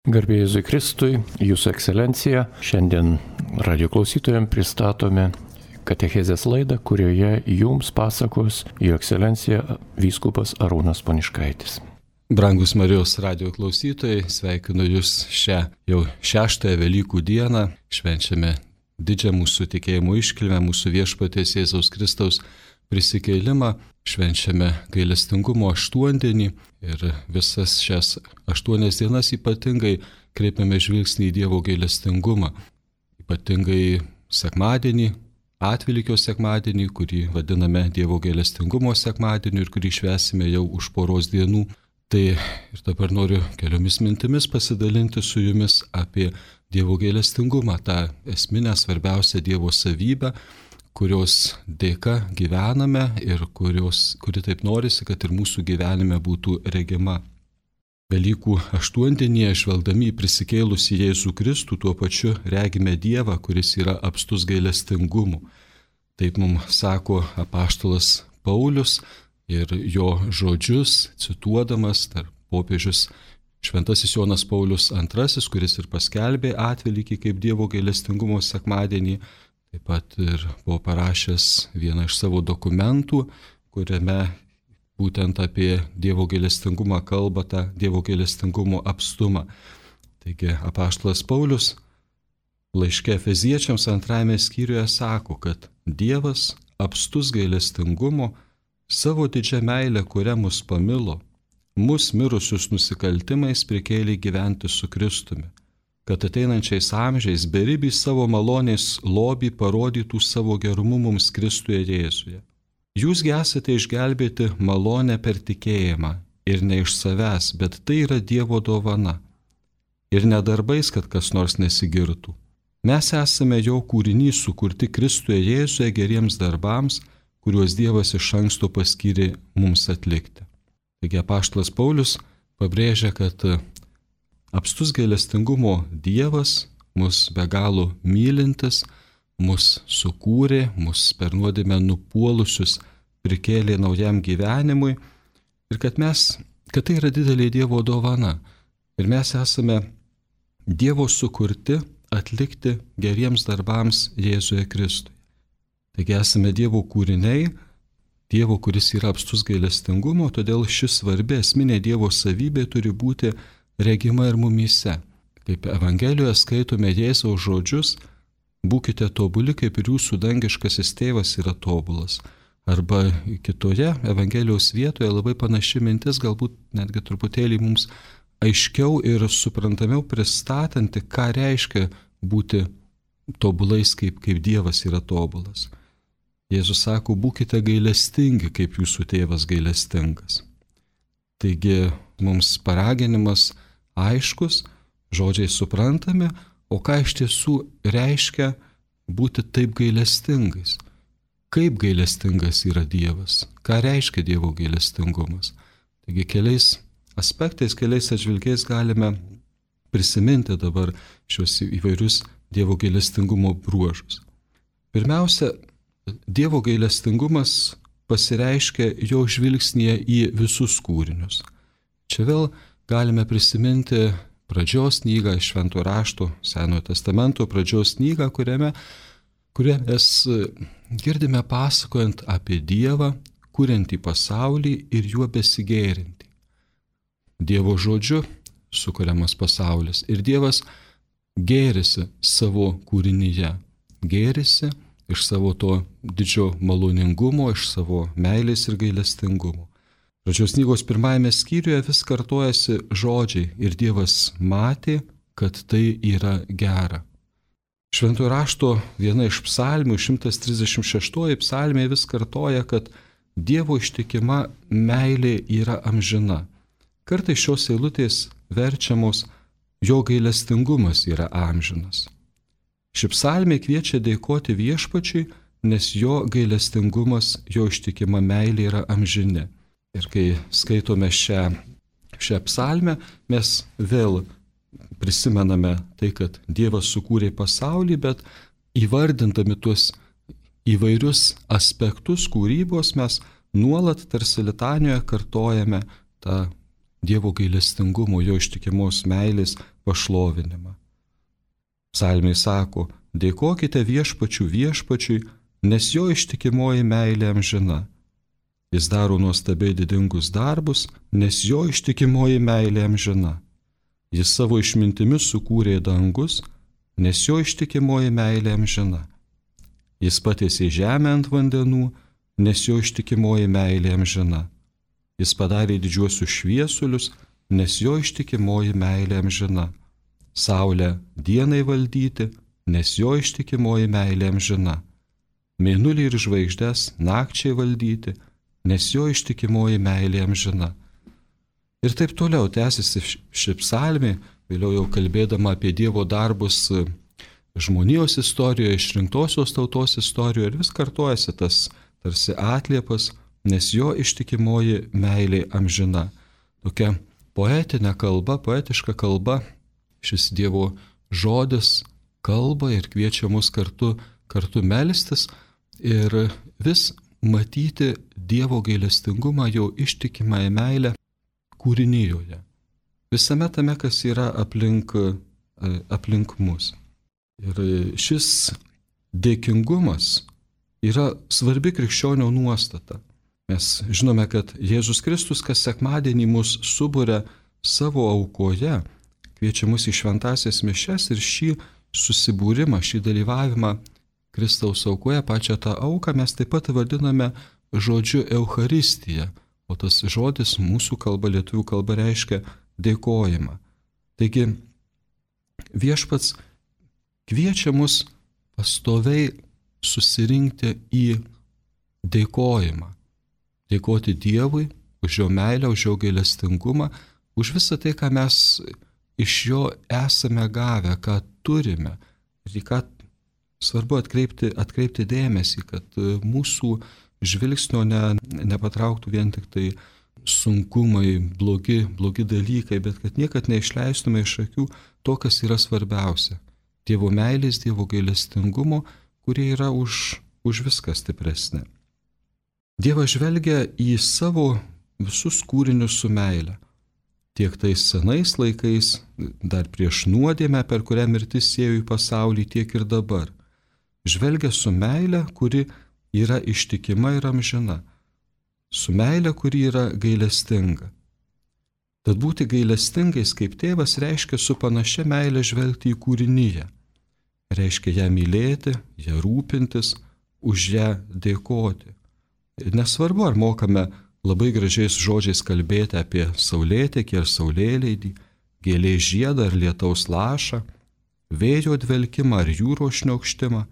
Garbė Jėzui Kristui, Jūsų ekscelencija, šiandien radio klausytojams pristatome katechezės laidą, kurioje jums pasakos Jo ekscelencija vyskupas Arūnas Poniškaitis. Brangus Marijos radio klausytojai, sveikinu Jūs šią jau 6 Velykų dieną, švenčiame didžią mūsų tikėjimo iškilmę, mūsų viešpaties Jėzaus Kristaus prisikėlimą, švenčiame gailestingumo aštuondienį ir visas šias 8 dienas ypatingai kreipiame žvilgsnį į Dievo gailestingumą. Ypatingai sekmadienį, Atvelykio sekmadienį, kurį vadiname Dievo gailestingumo sekmadieniu ir kurį švęsime jau už poros dienų. Tai ir dabar noriu keliomis mintimis pasidalinti su jumis apie Dievo gailestingumą, tą esminę svarbiausią Dievo savybę, kurios dėka gyvename ir kuri taip norisi, kad ir mūsų gyvenime būtų regima. Velykų aštuondienyje, žvelgdami į prisikėlusį Jėzų Kristų, tuo pačiu regime Dievą, kuris yra apstus gailestingumu. Taip mums sako apaštalas Paulius ir jo žodžius, cituodamas popiežius Šventasis Jonas Paulius II, kuris ir paskelbė Atvelykį kaip Dievo gailestingumo sekmadienį. Taip pat ir buvo parašęs vieną iš savo dokumentų, kuriame būtent apie Dievo gailestingumą kalba, tą Dievo gailestingumo apstumą. Taigi apaštalas Paulius laiške Efeziečiams 2 skyriuje sako, kad Dievas apstus gailestingumo savo didžią meilę, kuria mus pamilo, mus mirusius nusikaltimais prikėlė gyventi su Kristumi, kad ateinančiais amžiais beribį savo malonės lobį parodytų savo gerumu mums Kristuje Jėzuje. Jūsgi esate išgelbėti malonę per tikėjimą ir ne iš savęs, bet tai yra Dievo dovana. Ir ne darbais, kad kas nors nesigirtų. Mes esame jo kūrinys sukurti Kristuje Jėzuje geriems darbams, kuriuos Dievas iš anksto paskyrė mums atlikti. Taigi apaštalas Paulius pabrėžia, kad apstus gailestingumo Dievas, mus be galo mylintis, mus sukūrė, mus per nuodėmę nupuolusius prikėlė naujam gyvenimui ir kad tai yra didelė Dievo dovana ir mes esame Dievo sukurti atlikti geriems darbams Jėzuje Kristuje. Taigi esame Dievo kūriniai, Dievo, kuris yra apstus gailestingumo, todėl šis svarbi esminė Dievo savybė turi būti regima ir mumyse. Kaip Evangelijoje skaitome Jėzaus žodžius, būkite tobuli, kaip ir jūsų dangiškasis tėvas yra tobulas. Arba kitoje Evangelijos vietoje labai panaši mintis, galbūt netgi truputėlį mums aiškiau ir suprantamiau pristatanti, ką reiškia būti tobulais, kaip Dievas yra tobulas. Jėzus sako, būkite gailestingi, kaip jūsų tėvas gailestingas. Taigi mums paraginimas aiškus, žodžiai suprantami, o ką iš tiesų reiškia būti taip gailestingais. Kaip gailestingas yra Dievas, ką reiškia Dievo gailestingumas. Taigi keliais aspektais, keliais atžvilgiais galime prisiminti dabar šios įvairius Dievo gailestingumo bruožus. Pirmiausia, Dievo gailestingumas pasireiškia jo žvilgsnyje į visus kūrinius. Čia vėl galime prisiminti pradžios knygą iš Švento rašto, Senojo testamento pradžios knygą, kurią mes girdime pasakojant apie Dievą, kuriantį pasaulį ir juo besigėrintį. Dievo žodžiu sukuriamas pasaulis ir Dievas gėrisi savo kūrinyje, gėrisi iš savo to didžio maloningumo, iš savo meilės ir gailestingumo. Pradžios knygos 1 skyriuje vis kartojasi žodžiai ir Dievas matė, kad tai yra gera. Šventojo rašto viena iš psalmių, 136 psalmė vis kartoja, kad Dievo ištikima meilė yra amžina. Kartais šios eilutės verčiamos, jo gailestingumas yra amžinas. Ši psalmė kviečia dėkoti viešpačiui, nes jo gailestingumas, jo ištikima meilė yra amžini. Ir kai skaitome šią psalmę, mes vėl prisimename tai, kad Dievas sukūrė pasaulį, bet įvardindami tuos įvairius aspektus kūrybos mes nuolat tarsi litanijoje kartojame tą Dievo gailestingumo, jo ištikimos meilės pašlovinimą. Psalmiai sako, dėkokite viešpačiui, nes jo ištikimoji meilė amžina. Jis daro nuostabiai didingus darbus, nes jo ištikimoji meilė amžina. Jis savo išmintimi sukūrė dangus, nes jo ištikimoji meilė amžina. Jis patiesė žemę ant vandenų, nes jo ištikimoji meilė amžina. Jis padarė didžiuosius šviesulius, nes jo ištikimoji meilė amžina. Saulę dienai valdyti, nes jo ištikimoji meilė amžina. Mėnulį ir žvaigždes nakčiai valdyti, nes jo ištikimoji meilė amžina. Ir taip toliau tęsiasi ši psalmė, vėliau jau kalbėdama apie Dievo darbus žmonijos istorijoje, išrinktosios tautos istorijoje, ir vis kartojasi tas tarsi atliepas, nes jo ištikimoji meilė amžina. Tokia poetinė kalba, poetiška kalba, šis Dievo žodis kalba ir kviečia mus kartu melstis ir vis matyti Dievo gailestingumą, jo ištikimąją meilę kūrinijoje. Visame tame, kas yra aplink mus. Ir šis dėkingumas yra svarbi krikščionio nuostata. Mes žinome, kad Jėzus Kristus kas sekmadienį mus suburia savo aukoje, kviečia mus į šventąsias mišias ir šį susibūrimą, šį dalyvavimą Kristaus aukoje, pačią tą auką mes taip pat vadiname žodžiu Eucharistija, o tas žodis mūsų kalba, lietuvių kalba reiškia dėkojimą. Taigi viešpats kviečia mus pastoviai susirinkti į dėkojimą. Dėkoti Dievui už jo meilę, už jo gailestingumą, už visą tai, ką mes iš jo esame gavę, ką turime. Ir ką svarbu atkreipti dėmesį, kad mūsų žvilgsnio nepatrauktų vien tik tai sunkumai, blogi dalykai, bet kad niekad neišleistume iš akių to, kas yra svarbiausia. Dievo meilės, Dievo gailestingumo, kurie yra už viską stipresnė. Dievas žvelgia į savo visus kūrinius su meile. Tiek tais senais laikais, dar prieš nuodėmę, per kurią mirtis sėjo į pasaulį, tiek ir dabar. Žvelgia su meile, kuri yra ištikima ir amžina. Su meile, kuri yra gailestinga. Tad būti gailestingais kaip tėvas reiškia su panašia meile žvelgti į kūrinyje. Reiškia ją mylėti, ją rūpintis, už ją dėkoti. Nesvarbu, ar mokame labai gražiais žodžiais kalbėti apie saulėtekį ar saulėleidį, gėlės žiedą ar lietaus lašą, vėjo dvelkimą ar jūros šniokštimą.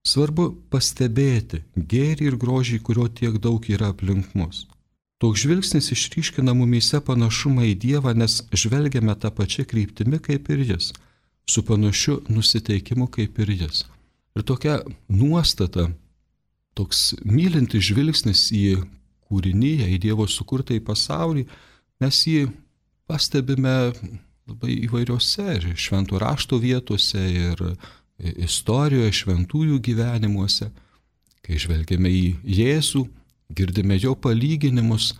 Svarbu pastebėti gėrį ir grožį, kurio tiek daug yra aplink mus. Toks žvilgsnis išryškina mumyse panašumą į Dievą, nes žvelgiame tą pačią kryptimį kaip ir jis, su panašiu nusiteikimu kaip ir jis. Ir tokia nuostata, toks mylintis žvilgsnis į kūrinyje, į Dievo sukurtą į pasaulį, mes jį pastebime labai įvairiose ir šventų rašto vietose ir istorijoje, šventųjų gyvenimuose. Kai žvelgiame į Jėzų, girdime jo palyginimus,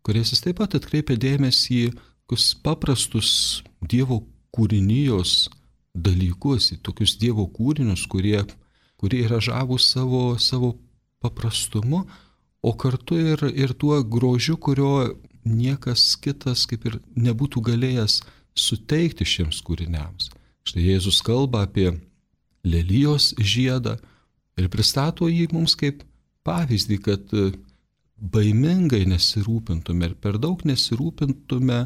kuriais jis taip pat atkreipia dėmesį į tokius paprastus Dievo kūrinijos dalykus, į tokius Dievo kūrinius, kurie yra žavūs savo paprastumu, o kartu ir tuo grožiu, kurio niekas kitas kaip ir nebūtų galėjęs suteikti šiems kūriniams. Štai Jėzus kalba apie lelijos žiedą ir pristato jį mums kaip pavyzdį, kad baimingai nesirūpintume ir per daug nesirūpintume,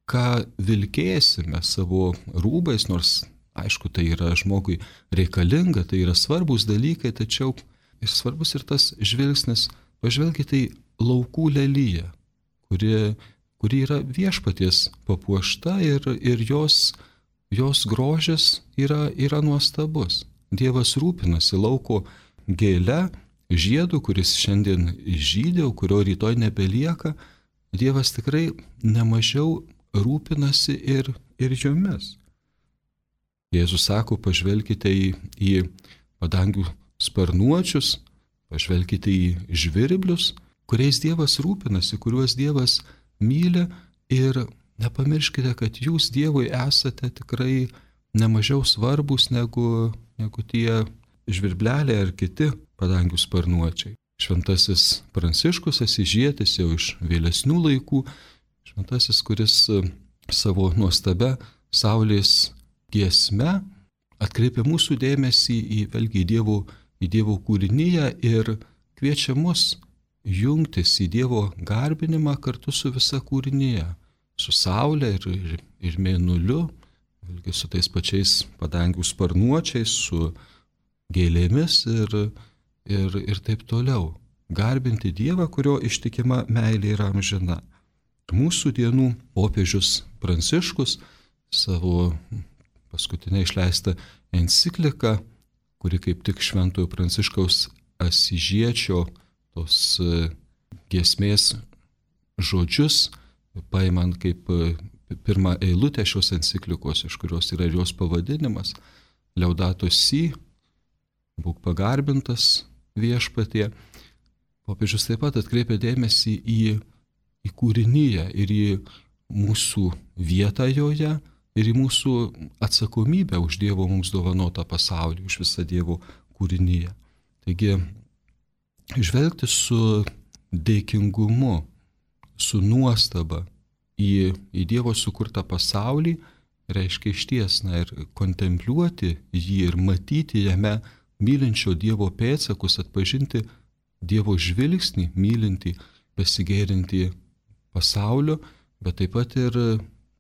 ką vilkėsime savo rūbais, nors aišku, tai yra žmogui reikalinga, tai yra svarbus dalykai, tačiau ir svarbus ir tas žvilgsnis. Pažvelkite į laukų leliją, kuri yra viešpaties papuošta ir jos grožis yra nuostabus. Dievas rūpinasi lauko gėle, žiedu, kuris šiandien žydė, kurio rytoj nebelieka. Dievas tikrai nemažiau rūpinasi ir jomis. Jėzus sako, pažvelkite į padangių sparnuočius, pažvelkite į žvirblius, kuriais Dievas rūpinasi, kuriuos Dievas myli ir nepamirškite, kad jūs Dievui esate tikrai nemažiau svarbus negu tie žvirbleliai ar kiti padangių sparnuočiai. Šventasis Pranciškus Asyžietis jau iš vėlesnių laikų, šventasis, kuris savo nuostabia saulės giesme atkreipia mūsų dėmesį į Dievo kūrinyje ir kviečia mus jungtis į Dievo garbinimą kartu su visa kūrinyje, su saulė ir mėnuliu, su tais pačiais padangių sparnuočiais, su gėlėmis ir taip toliau. Garbinti Dievą, kurio ištikima meilė yra amžina. Mūsų dienų popiežius Pranciškus savo paskutinę išleistą encikliką, kuri kaip tik Šventojo Pranciškaus Asyžiečio tos giesmės žodžius, paimant kaip pirmą eilutę šios enciklikos, iš kurios yra jos pavadinimas, Laudato Si, būk pagarbintas viešpatie, popiežius taip pat atkreipia dėmesį į kūrinyje ir į mūsų vietą joje ir į mūsų atsakomybę už Dievo mums dovanotą pasaulį, už visą Dievo kūrinyje. Taigi, žvelgti su dėkingumu, su nuostaba į Dievo sukurtą pasaulį reiškia išties, ir kontempliuoti jį ir matyti jame mylinčio Dievo pėdsakus, atpažinti Dievo žvilgsnį, mylinti, besigėrinti pasaulio, bet taip pat ir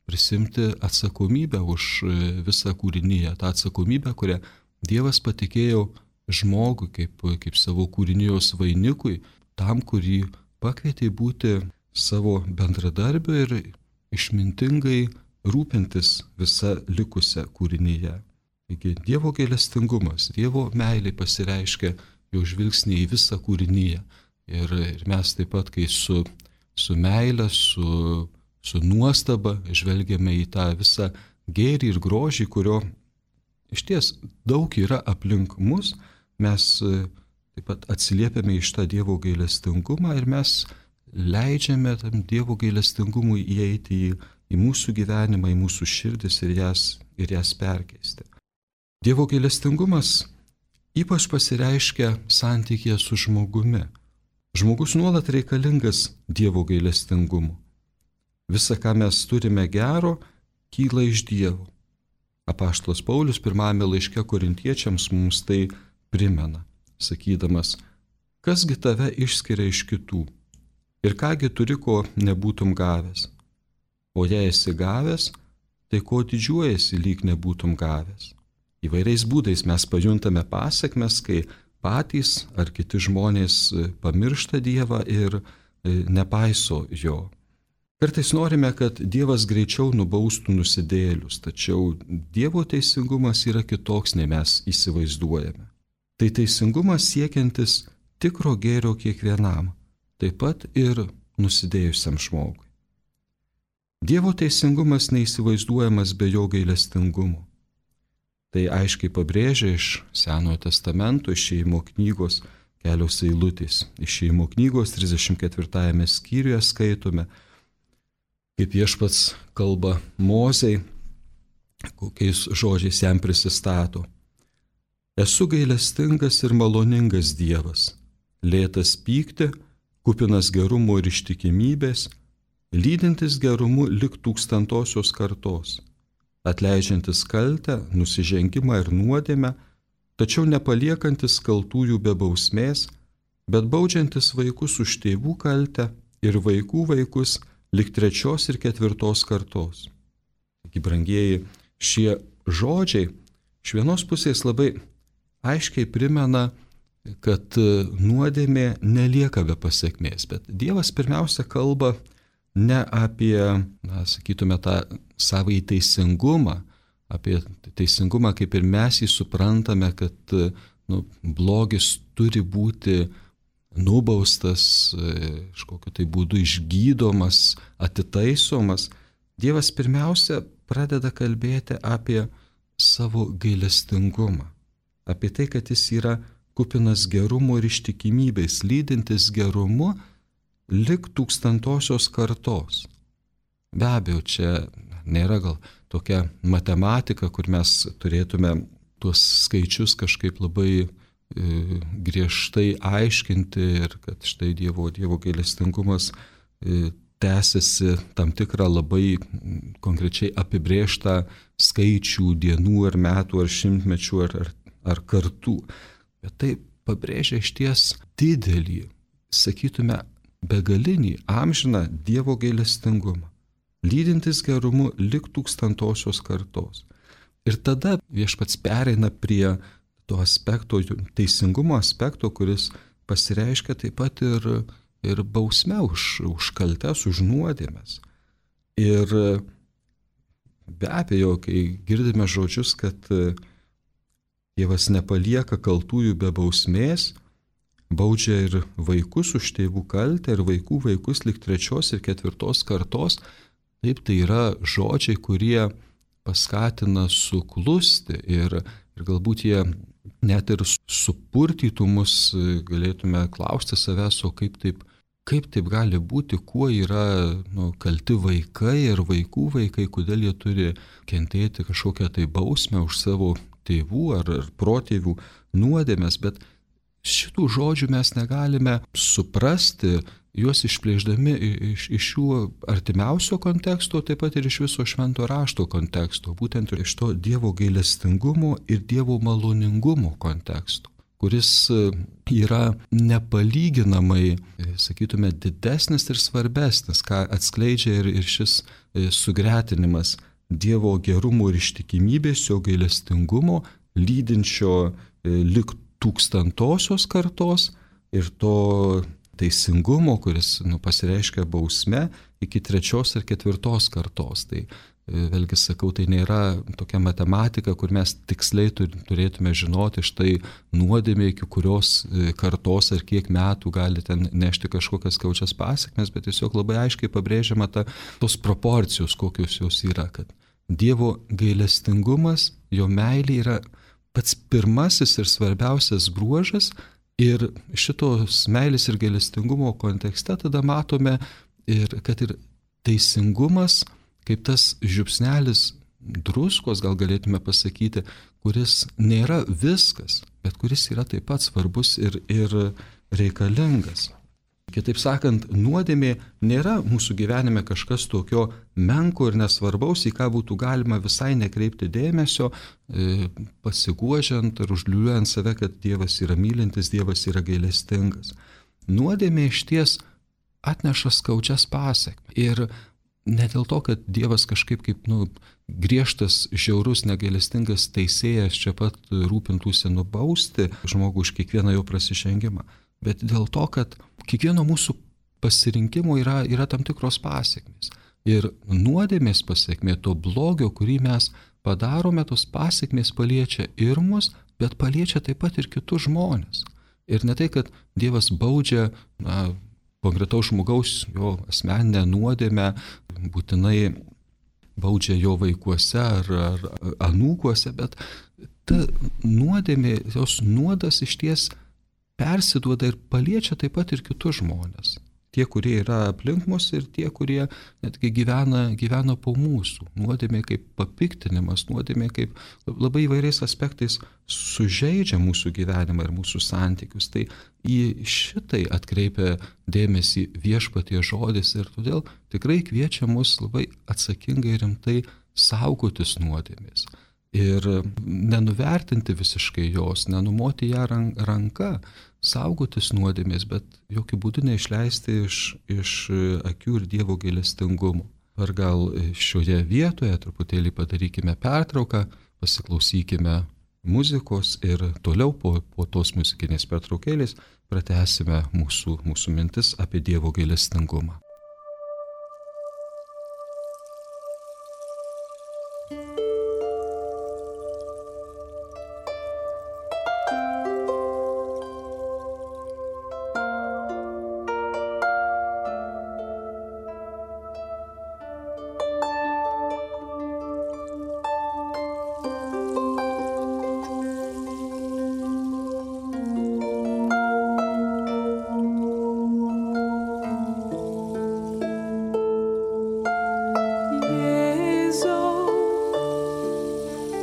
prisimti atsakomybę už visą kūrinyje, tą atsakomybę, kurią Dievas patikėjo žmogui kaip savo kūrinijos vainikui, tam, kurį pakvietė būti savo bendradarbiu ir išmintingai rūpintis visą likusią kūrinyje. Taigi Dievo gailestingumas, Dievo meilė pasireiškia jo žvilgsnį į visą kūrinyje. Ir mes taip pat, kai su meile, su nuostaba žvelgiame į tą visą gėrį ir grožį, kurio išties daug yra aplink mus, mes taip pat atsiliepiame iš tą Dievo gailestingumą ir mes leidžiame tam Dievo gailestingumui įeiti į mūsų gyvenimą, į mūsų širdis ir jas perkeisti. Dievo gailestingumas ypač pasireiškia santykėje su žmogumi. Žmogus nuolat reikalingas Dievo gailestingumu. Visa, ką mes turime gero, kyla iš Dievo. Apaštalas Paulius pirmame laiške Korintiečiams mums tai primena, sakydamas, kasgi tave išskiria iš kitų ir kągi turi, ko nebūtum gavęs. O jei esi gavęs, tai ko didžiuojasi, lyg nebūtum gavęs. Įvairiais būdais mes pajuntame pasekmes, kai patys ar kiti žmonės pamiršta Dievą ir nepaiso jo. Kartais norime, kad Dievas greičiau nubaustų nusidėjėlius, tačiau Dievo teisingumas yra kitoks, nei mes įsivaizduojame. Tai teisingumas siekiantis tikro gėrio kiekvienam, taip pat ir nusidėjusiam žmogui. Dievo teisingumas neįsivaizduojamas be jo gailestingumo. Tai aiškiai pabrėžia iš Senojo testamento, Išėjimo knygos kelios eilutės. Išėjimo knygos 34 skyriuje skaitome, kaip Viešpats kalba Mozei, kokiais žodžiais jam prisistato. Esu gailestingas ir maloningas Dievas, lėtas pykti, kupinas gerumo ir ištikimybės, lydintis gerumu lik tūkstantosios kartos, atleidžiantis kaltę, nusižengimą ir nuodėmę, tačiau nepaliekantis kaltųjų be bausmės, bet baudžiantis vaikus už tėvų kaltę ir vaikų vaikus lik 3. ir 4. kartos. Taigi, brangieji, šie žodžiai iš vienos pusės labai aiškiai primena, kad nuodėmė nelieka be pasekmės, bet Dievas pirmiausia kalba ne apie, sakytume, tą savąjį teisingumą, apie teisingumą, kaip ir mes jį suprantame, kad blogis turi būti nubaustas, kažkokiu tai būdu išgydomas, atitaisomas. Dievas pirmiausia pradeda kalbėti apie savo gailestingumą, apie tai, kad jis yra kupinas gerumo ir ištikimybės, lydintis gerumu lik 1000 kartos. Be abejo, čia nėra gal tokia matematika, kur mes turėtume tuos skaičius kažkaip labai griežtai aiškinti ir kad štai Dievo gailestingumas tęsiasi tam tikrą labai konkrečiai apibrėžtą skaičių dienų ar metų ar šimtmečių ar kartų. Bet tai pabrėžia išties didelį, sakytume, begalinį, amžiną Dievo gailestingumą, lydintis gerumu lig 1000-osios kartos. Ir tada Viešpats pereina prie to aspekto, teisingumo aspekto, kuris pasireiškia taip pat ir bausme už kaltes, už nuodėmes. Ir be abejo, kai girdime žodžius, kad Dievas nepalieka kaltųjų be bausmės, baudžia ir vaikus už tėvų kaltę ir vaikų vaikus lig 3. ir 4. kartos, taip tai yra žodžiai, kurie paskatina suklusti ir galbūt jie net ir supurtytų mus, galėtume klausti savęs, o kaip taip gali būti, kuo yra kalti vaikai ir vaikų vaikai, kodėl jie turi kentėti kažkokią tai bausmę už savo tėvų ar protėvių nuodėmes, bet šitų žodžių mes negalime suprasti, juos išplėždami iš jų artimiausio konteksto, taip pat ir iš viso švento rašto konteksto, būtent iš to Dievo gailestingumo ir Dievo maloningumo konteksto, kuris yra nepalyginamai, sakytume, didesnis ir svarbesnis, ką atskleidžia ir šis sugretinimas Dievo gerumo ir ištikimybės, jo gailestingumo, lydinčio lig 1000-osios kartos ir to teisingumo, kuris pasireiškia bausme iki 3. ir 4. kartos. Tai vėlgi sakau, tai nėra tokia matematika, kur mes tiksliai turėtume žinoti štai nuodėmė, iki kurios kartos ar kiek metų gali ten nešti kažkokias skaudžias pasekmes, bet tiesiog labai aiškiai pabrėžiama tos proporcijos, kokios jos yra, kad Dievo gailestingumas, jo meilė yra pats pirmasis ir svarbiausias bruožas. Ir šitos meilės ir gailestingumo kontekste tada matome, kad ir teisingumas, kaip tas žiupsnelis druskos, gal galėtume pasakyti, kuris nėra viskas, bet kuris yra taip pat svarbus ir reikalingas. Kitaip sakant, nuodėmė nėra mūsų gyvenime kažkas tokio menko ir nesvarbaus, į ką būtų galima visai nekreipti dėmesio, pasiguodžiant ir užliūliuojant save, kad Dievas yra mylintis, Dievas yra gailestingas. Nuodėmė išties atneša skaudžias pasekmes. Ir ne dėl to, kad Dievas kažkaip kaip griežtas, žiaurus, negailestingas teisėjas čia pat rūpintųsi nubausti žmogų už kiekvieną jo prasižengimą, bet dėl to, kad kiekvieno mūsų pasirinkimo yra tam tikros pasekmės. Ir nuodėmės pasekmė, to blogio, kurį mes padarome, tos pasekmės paliečia ir mus, bet paliečia taip pat ir kitus žmonės. Ir ne tai, kad Dievas baudžia konkretaus žmogaus, jo asmeninę nuodėmę, būtinai baudžia jo vaikuose ar anūkuose, bet ta nuodėmė, jos nuodas išties persiduoda ir paliečia taip pat ir kitus žmonės. Tie, kurie yra aplink mus ir tie, kurie netgi gyvena po mūsų. Nuodėmė kaip papiktinimas, nuodėmė kaip labai įvairiais aspektais sužeidžia mūsų gyvenimą ir mūsų santykius. Tai į šitai atkreipia dėmesį Viešpaties žodis ir todėl tikrai kviečia mus labai atsakingai ir rimtai saugotis nuodėmės. Ir nenuvertinti visiškai jos, nenumoti ją ranka, saugotis nuodėmės, bet jokių būdų neišleisti iš akių ir Dievo gailestingumo. Ar gal šioje vietoje truputėlį padarykime pertrauką, pasiklausykime muzikos ir toliau po tos muzikinės pertraukėlės pratęsime mūsų mintis apie Dievo gailestingumą.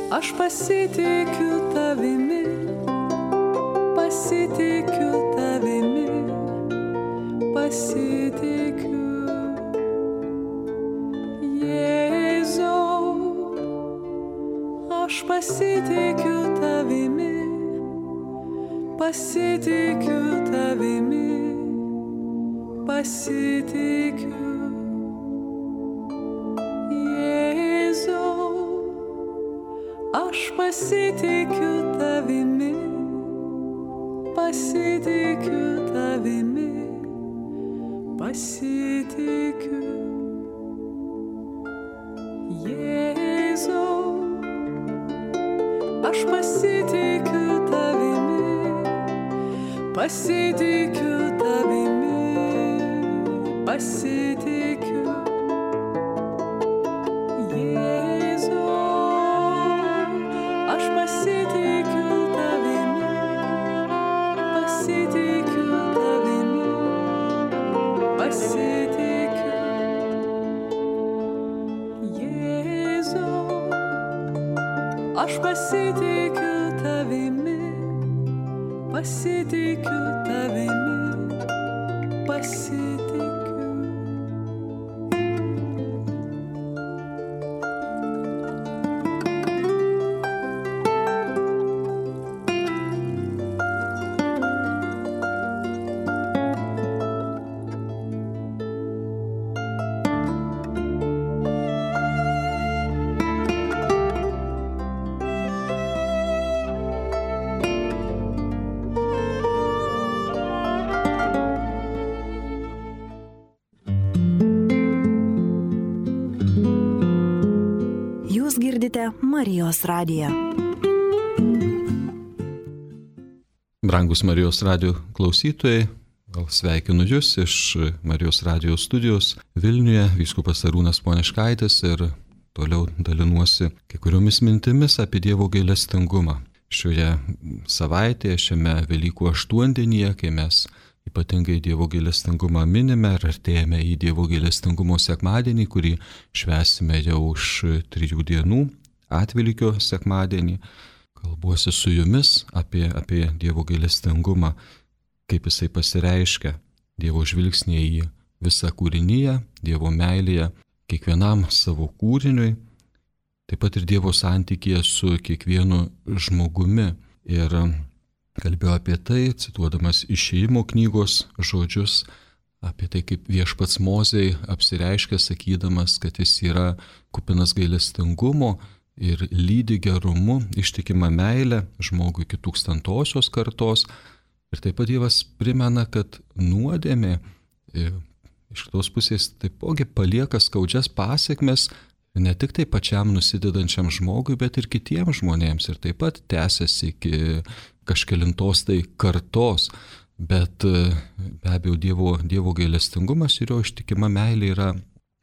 Aš pasitikiu tavimi, pasitikiu tavimi, pasitikiu. Jėzau, aš pasitikiu tavimi, pasitikiu tavimi, pasitikiu. Jėzau, aš pasitikiu tavimi, pasitikiu tavimi, pasitikiu. Jėzau, aš pasitikiu tavimi, pasitikiu tavimi, pasitikiu. Jėzau, aš pasitikiu tavimi, pasitikiu tavimi, pasitikiu. Jėzau, aš pasitikiu tavimi, pasitikiu tavimi, pasitikiu. Girdite Marijos radiją. Brangus Marijos radijo klausytojai, sveikinu Jūs iš Marijos radijo studijos Vilniuje, vyskupas Arūnas Poniškaitis, ir toliau dalinuosi kai kuriomis mintimis apie Dievo gailestingumą. Šioje savaitėje, šiame Velykų aštuondienyje, kai mes ypatingai Dievo gailestingumą minime ir artėjame į Dievo gailestingumo sekmadienį, kurį švęsime jau už 3 dienų, Atvelykio sekmadienį, kalbuosi su Jumis apie Dievo gailestingumą, kaip jisai pasireiškia, Dievo žvilgsnėje į visą kūriniją, Dievo meilėje kiekvienam savo kūriniui, taip pat ir Dievo santykyje su kiekvienu žmogumi. Ir kalbėjau apie tai, cituodamas Išėjimo knygos žodžius, apie tai, kaip Viešpats Mozei apsireiškia, sakydamas, kad jis yra kupinas gailestingumo ir lydi gerumu, ištikima meilė žmogui iki 1000-osios kartos. Ir taip pat Dievas primena, kad nuodėmė iš kitos pusės taipogi palieka skaudžias pasekmes ne tik tai pačiam nusidedančiam žmogui, bet ir kitiems žmonėms. Ir taip pat tęsiasi iki kažkelintos tai kartos. Bet be abejo Dievo gailestingumas ir jo ištikima meilė yra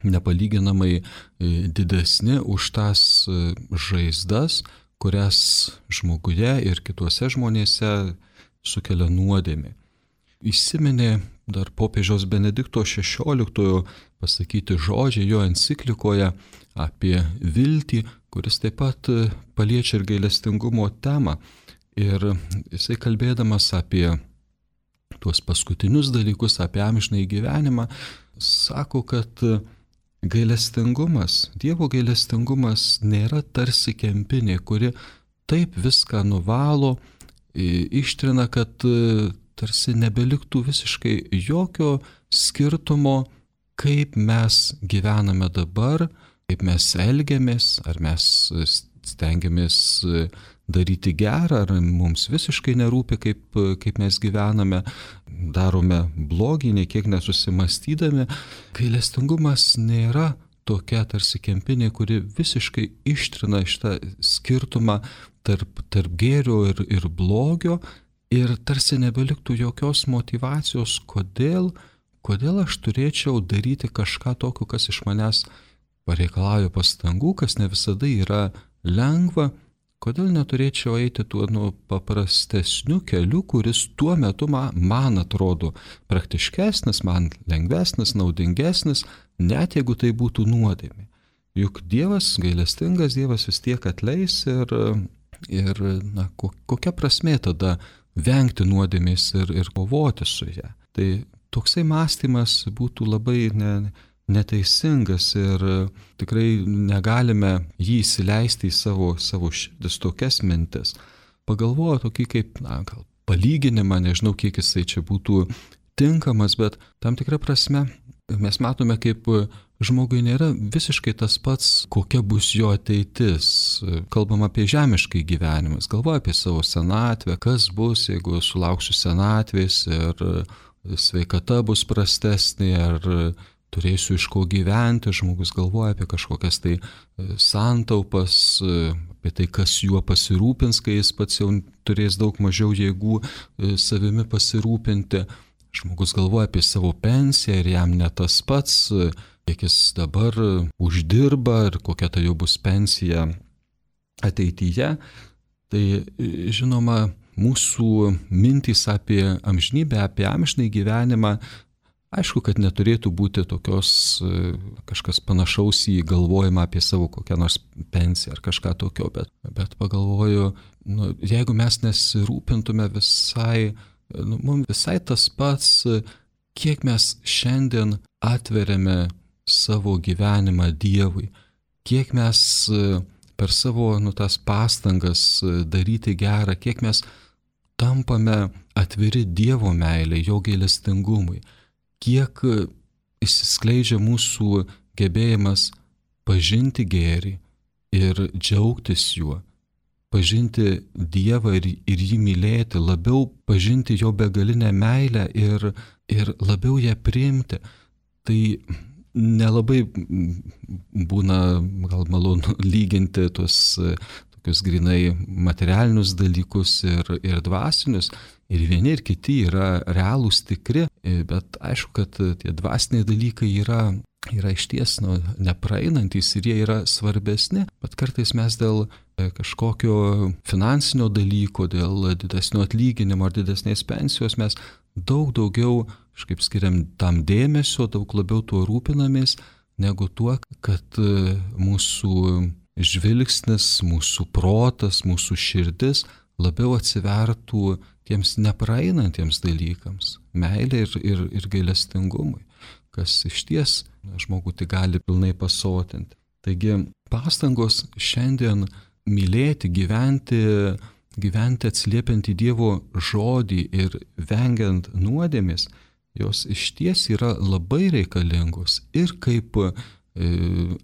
nepalyginamai didesni už tas žaizdas, kurias žmoguje ir kituose žmonėse sukelia nuodėmė. Įsiminė dar popiežiaus Benedikto XVI pasakyti žodžiai jo enciklikoje apie viltį, kuris taip pat paliečia ir gailestingumo temą. Ir jisai kalbėdamas apie tuos paskutinius dalykus, apie amžinąjį gyvenimą, sako, kad gailestingumas, Dievo gailestingumas nėra tarsi kempinė, kuri taip viską nuvalo, ištrina, kad tarsi nebeliktų visiškai jokio skirtumo, kaip mes gyvename dabar, kaip mes elgiamės, ar mes stengiamės daryti gerą, ar mums visiškai nerūpi, kaip mes gyvename, darome blogį, nei kiek nesusimastydami. Gailestingumas nėra tokia tarsi kempinė, kuri visiškai ištrina šitą skirtumą tarp gėrio ir blogio, ir tarsi nebeliktų jokios motyvacijos, kodėl aš turėčiau daryti kažką tokio, kas iš manęs pareikalauja pastangų, kas ne visada yra lengva, kodėl neturėčiau eiti tuo paprastesniu keliu, kuris tuo metu man atrodo praktiškesnis, man lengvesnis, naudingesnis, net jeigu tai būtų nuodėmė. juk Dievas, gailestingas Dievas vis tiek atleis ir kokia prasmė tada vengti nuodėmės ir kovoti su ją. Tai toksai mąstymas būtų labai neteisingas ir tikrai negalime jį įsileisti į savo širdis tokias mintis. Pagalvoju tokį kaip, gal palyginimą, nežinau, kiek jisai čia būtų tinkamas, bet tam tikrą prasme mes matome, kaip žmogui nėra visiškai tas pats, kokia bus jo ateitis. Kalbam apie žemiškai gyvenimas, galvoju apie savo senatvę, kas bus, jeigu sulauksiu senatvės ir sveikata bus prastesnė, ar turėsiu iš ko gyventi, žmogus galvoja apie kažkokias tai santaupas, apie tai, kas juo pasirūpins, kai jis pats jau turės daug mažiau jėgų savimi pasirūpinti. Žmogus galvoja apie savo pensiją ir jam ne tas pats, kiek jis dabar uždirba ir kokia tai jau bus pensija ateityje. Tai žinoma, mūsų mintys apie amžinybę, apie amžinąjį gyvenimą, aišku, kad neturėtų būti tokios kažkas panašaus į galvojimą apie savo kokią nors pensiją ar kažką tokio, bet pagalvoju, jeigu mes nesirūpintume mums visai tas pats, kiek mes šiandien atveriame savo gyvenimą Dievui, kiek mes per savo tas pastangas daryti gerą, kiek mes tampame atviri Dievo meilei, jo gailestingumui, kiek išsiskleidžia mūsų gebėjimas pažinti gėrį ir džiaugtis juo, pažinti Dievą ir jį mylėti, labiau pažinti jo begalinę meilę ir labiau ją priimti. Tai nelabai būna gal malonu lyginti tuos tokius grinai materialinius dalykus ir dvasinius. Ir vieni ir kiti yra realūs, tikri, bet aišku, kad tie dvasiniai dalykai yra išties nepraeinantys ir jie yra svarbesni, bet kartais mes dėl kažkokio finansinio dalyko, dėl didesnio atlyginimo ar didesnės pensijos mes daug daugiau kažkaip skiriam tam dėmesio, daug labiau tuo rūpinamės, negu tuo, kad mūsų žvilgsnis, mūsų protas, mūsų širdis labiau atsivertų tiems nepraeinantiems dalykams, meilė ir gailestingumui, kas išties žmogų tik gali pilnai pasotinti. Taigi pastangos šiandien mylėti, gyventi atsiliepiant į Dievo žodį ir vengiant nuodėmės, jos išties yra labai reikalingos ir kaip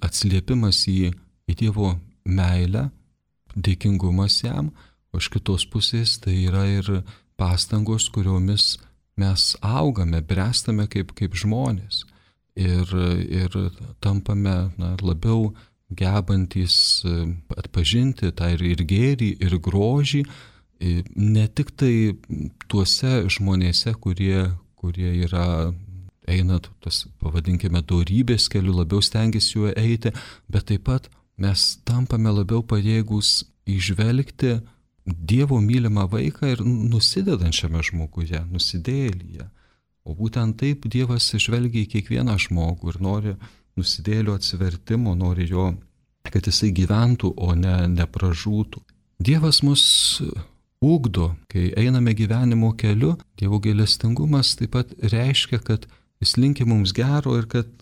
atsiliepimas į Dievo meilę, dėkingumas jam, o iš kitos pusės tai yra ir pastangos, kuriomis mes augame, bręstame kaip žmonės ir tampame labiau gebantys atpažinti tą ir gėrį, ir grožį, ne tik tai tuose žmonėse, kurie eina tas, pavadinkime, dorybės keliu, labiau stengiasi juo eiti, bet taip pat mes tampame labiau pajėgus įžvelgti Dievo mylimą vaiką ir nusidedančiame žmoguje, nusidėjėlyje. O būtent taip Dievas žvelgia į kiekvieną žmogų ir nori nusidėjėlio atsivertimo, nori jo, kad jisai gyventų, o ne pražūtų. Dievas mus ugdo, kai einame gyvenimo keliu. Dievo gailestingumas taip pat reiškia, kad jis linki mums gero ir kad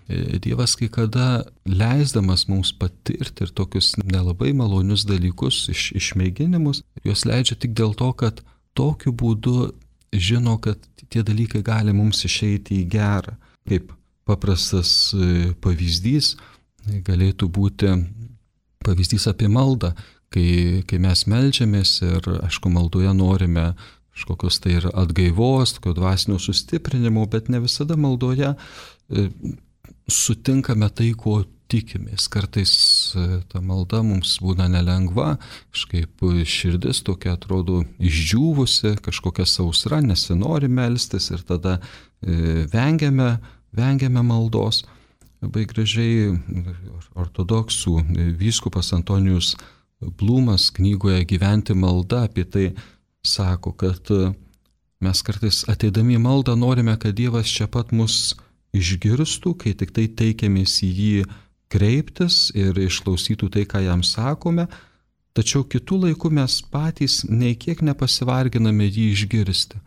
Dievas kai kada leisdamas mums patirti ir tokius nelabai malonius dalykus, išmėginimus, juos leidžia tik dėl to, kad tokiu būdu žino, kad tie dalykai gali mums išeiti į gerą. Kaip paprastas pavyzdys galėtų būti pavyzdys apie maldą, kai mes meldžiamės ir, aišku, maldoje norime kažkokios tai ir atgaivos, tokio dvasinio sustiprinimo, bet ne visada maldoje sutinkame tai, ko tikimės. Kartais ta malda mums būna nelengva, kažkaip širdis tokia atrodo išdžiūvusi, kažkokia sausra, nesinori melstis ir tada vengiame maldos. Labai gražiai ortodoksų vyskupas Antonijus Blumas knygoje Gyventi malda apie tai sako, kad mes kartais ateidami į maldą norime, kad Dievas čia pat mus išgirstų, kai tik tai teikiamės į jį kreiptis ir išklausytų tai, ką jam sakome, tačiau kitų laikų mes patys nei kiek nepasivarginame jį išgirsti.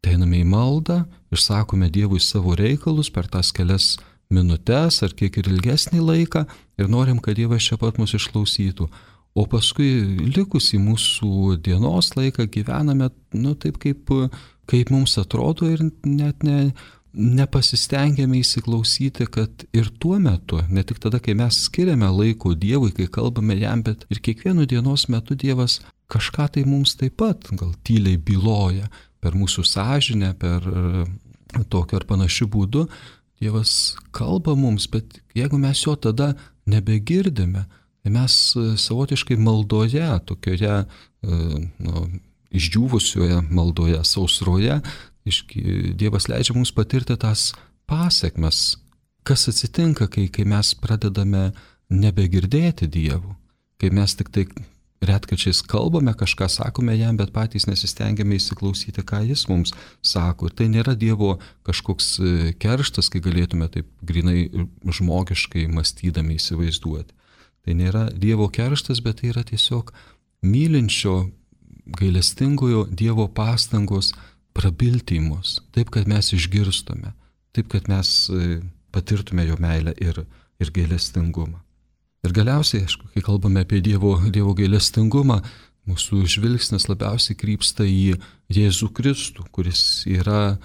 Einame į maldą, išsakome Dievui savo reikalus per tas kelias minutes ar kiek ir ilgesnį laiką ir norim, kad Dievas čia pat mus išklausytų. O paskui likusį mūsų dienos laiką gyvename, taip kaip mums atrodo ir net nepasistengėme įsiklausyti, kad ir tuo metu, ne tik tada, kai mes skiriame laiko Dievui, kai kalbame jam, bet ir kiekvienu dienos metu Dievas kažką tai mums taip pat gal tyliai byloja per mūsų sąžinę, per tokiu ar panašiu būdu. Dievas kalba mums, bet jeigu mes jo tada nebegirdime, tai mes savotiškai maldoje, tokioje išdžiūvusioje maldoje, sausroje, Dievas leidžia mums patirti tas pasekmes. Kas atsitinka, kai mes pradedame nebegirdėti Dievų, kai mes tik tai retkarčiais kalbame, kažką sakome jam, bet patys nesistengiame įsiklausyti, ką jis mums sako. Ir tai nėra Dievo kažkoks kerštas, kai galėtume taip grinai žmogiškai mąstydami įsivaizduoti. Tai nėra Dievo kerštas, bet tai yra tiesiog mylinčio, gailestingojo Dievo pastangos prabilti į mus, taip, kad mes išgirstume, taip, kad mes patirtume jo meilę ir gailestingumą. Ir galiausiai, aišku, kai kalbame apie Dievo gailestingumą, mūsų žvilgsnis labiausiai krypsta į Jėzų Kristų, kuris yra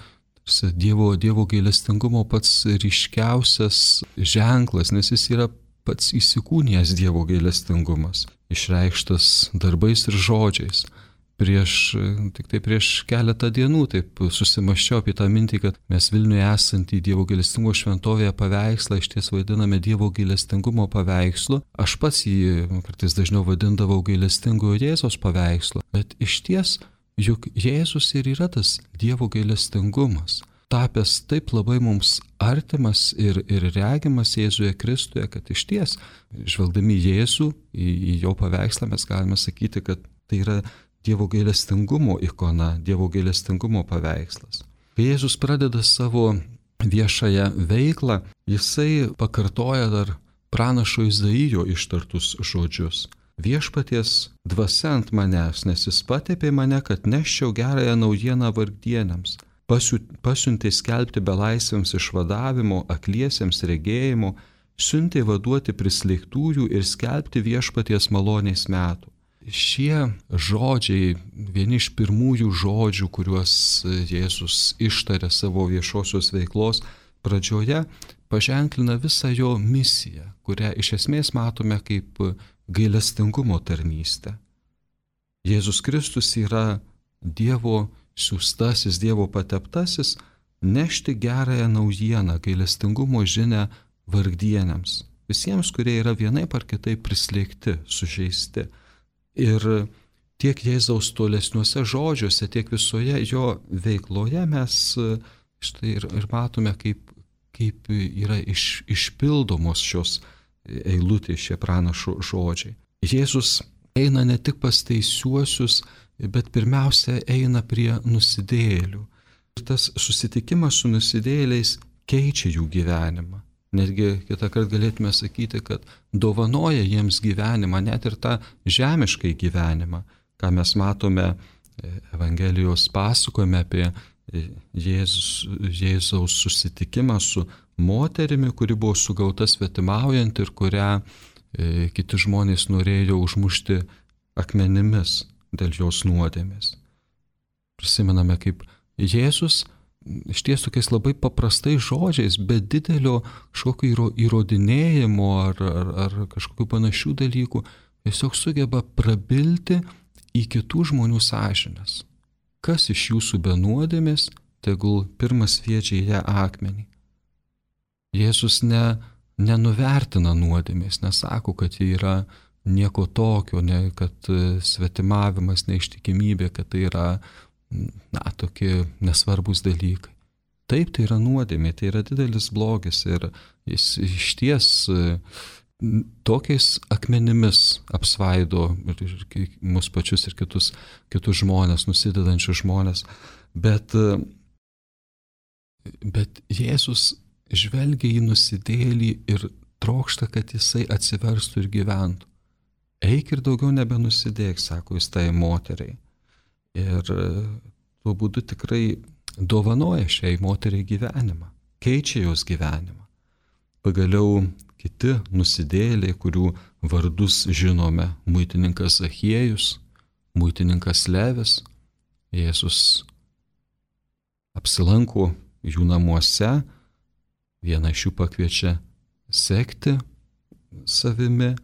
Dievo gailestingumo pats ryškiausias ženklas, nes jis yra pats įsikūnijęs Dievo gailestingumas, išreikštas darbais ir žodžiais. Tik tai prieš keletą dienų taip susimąsčiau apie tą mintį, kad mes Vilniuje esantį Dievo gailestingumo šventovėje paveikslą iš ties vadiname Dievo gailestingumo paveikslu. Aš pats jį kartais dažniau vadindavau gailestingojo Jėzaus paveikslu, bet iš ties juk Jėzus ir yra tas Dievo gailestingumas, tapęs taip labai mums artimas ir regimas Jėzuje Kristuje, kad iš ties, žvelgdami Jėzų į jo paveikslą, mes galime sakyti, kad tai yra Dievo gailestingumo ikona, Dievo gailestingumo paveikslas. Kai Jėzus pradeda savo viešąją veiklą, jisai pakartoja dar pranašo Izaijo ištartus žodžius. Viešpaties dvasia ant manęs, nes jis patepė mane, kad neščiau gerąją naujieną vargdieniams. Pasiuntė skelbti belaisviams išvadavimo, akliesiems regėjimo, siuntė vaduoti prislėgtųjų ir skelbti viešpaties malonės metų. Šie žodžiai, vieni iš pirmųjų žodžių, kuriuos Jėzus ištarė savo viešosios veiklos pradžioje, paženklina visą jo misiją, kurią iš esmės matome kaip gailestingumo tarnystę. Jėzus Kristus yra Dievo siųstasis, Dievo pateptasis, nešti gerąją naujieną, gailestingumo žinią vargdieniams, visiems, kurie yra vienaip ar kitaip prislėgti, sužeisti. Ir tiek Jėzaus tolesniuose žodžiuose, tiek visoje jo veikloje mes štai ir matome, kaip yra išpildomos šios eilutės, šie pranašo žodžiai. Jėzus eina ne tik pas teisiuosius, bet pirmiausia eina prie nusidėjėlių. Ir tas susitikimas su nusidėjėliais keičia jų gyvenimą. Netgi kitą kartą galėtume sakyti, kad dovanoja jiems gyvenimą, net ir tą žemiškai gyvenimą, ką mes matome Evangelijos pasakojime apie Jėzaus susitikimą su moterimi, kuri buvo sugauta svetimaujant ir kurią kiti žmonės norėjo užmušti akmenimis dėl jos nuodėmės. Prisimename, kaip Jėzus iš ties tokiais labai paprastais žodžiais, be didelio kažkokio įrodinėjimo ar kažkokių panašių dalykų, tiesiog sugeba prabilti į kitų žmonių sąžines. Kas iš jūsų be nuodėmės, tegul pirmas sviedžia į ją akmenį. Jėzus nenuvertina nuodėmės, nesako, kad ji yra nieko tokio, kad svetimavimas, neištikimybė, kad tai yra tokie nesvarbus dalykai. Taip, tai yra nuodėmė, tai yra didelis blogis ir jis iš ties tokiais akmenimis apsvaido ir mus pačius ir kitus žmonės, nusidedančius žmonės. Bet Jėzus žvelgia į nusidėjėlį ir trokšta, kad jisai atsiverstų ir gyventų. Eik ir daugiau nebenusidėk, sako jis tai moteriai. Ir tuo būdu tikrai dovanoja šiai moteriai gyvenimą, keičia jos gyvenimą. Pagaliau kiti nusidėjėliai, kurių vardus žinome, muitininkas Zachiejus, muitininkas Levis, Jėzus apsilanko jų namuose, vieną iš jų pakviečia sekti savimi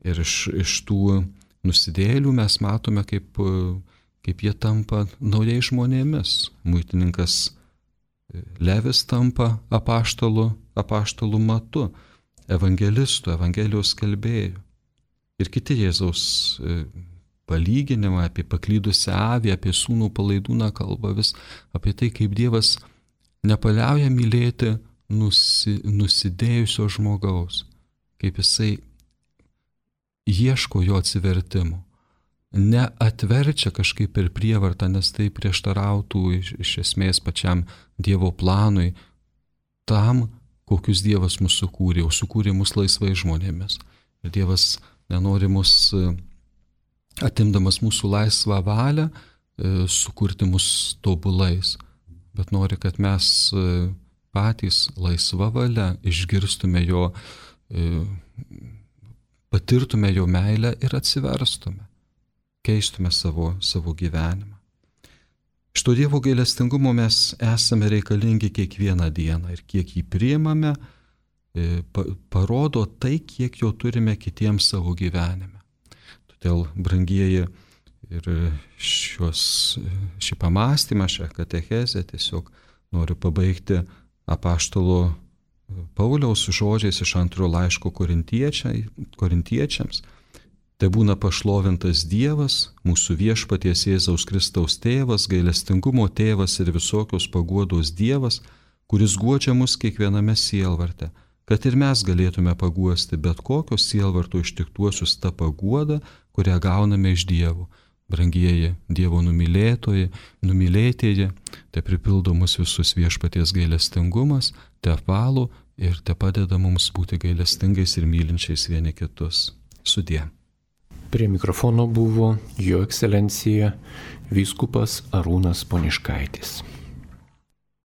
ir iš tų nusidėjėlių mes matome, kaip jie tampa naujais žmonėmis. Muitininkas Levis tampa apaštalų Matu, evangelistu, evangelijos skelbėju. Ir kiti Jėzaus palyginimai apie paklydusią avį, apie sūnų palaidūną kalba vis apie tai, kaip Dievas nepaliauja mylėti nusidėjusio žmogaus, kaip jisai ieško jo atsivertimo. Neatverčia kažkaip per prievartą, nes tai prieštarautų iš esmės pačiam Dievo planui, tam, kokius Dievas mus sukūrė, o sukūrė mus laisvai žmonėmis. Ir Dievas nenori mus, atimdamas mūsų laisvą valią, sukurti mus tobulais, bet nori, kad mes patys laisva valia išgirstume jo, patirtume jo meilę ir atsiverstume, keistume savo gyvenimą. Iš to Dievo gailestingumo mes esame reikalingi kiekvieną dieną ir kiek jį priimame, parodo tai, kiek jo turime kitiems savo gyvenime. Todėl, brangieji, ir šį pamastymą, šią katechezę tiesiog noriu pabaigti apaštalo Pauliaus žodžiais iš 2 laiško korintiečiams. Tai būna pašlovintas Dievas, mūsų viešpaties Jėzaus Kristaus tėvas, gailestingumo tėvas ir visokios paguodos Dievas, kuris guodžia mus kiekviename sielvarte, kad ir mes galėtume paguosti bet kokios sielvarto ištiktuosius tą paguodą, kurią gauname iš Dievo. Brangieji Dievo numylėtieji, te pripildo mus visus viešpaties gailestingumas, te apvalo ir te padeda mums būti gailestingais ir mylinčiais vieni kitus. Sudie. Prie mikrofono buvo Jo ekscelencija vyskupas Arūnas Poniškaitis.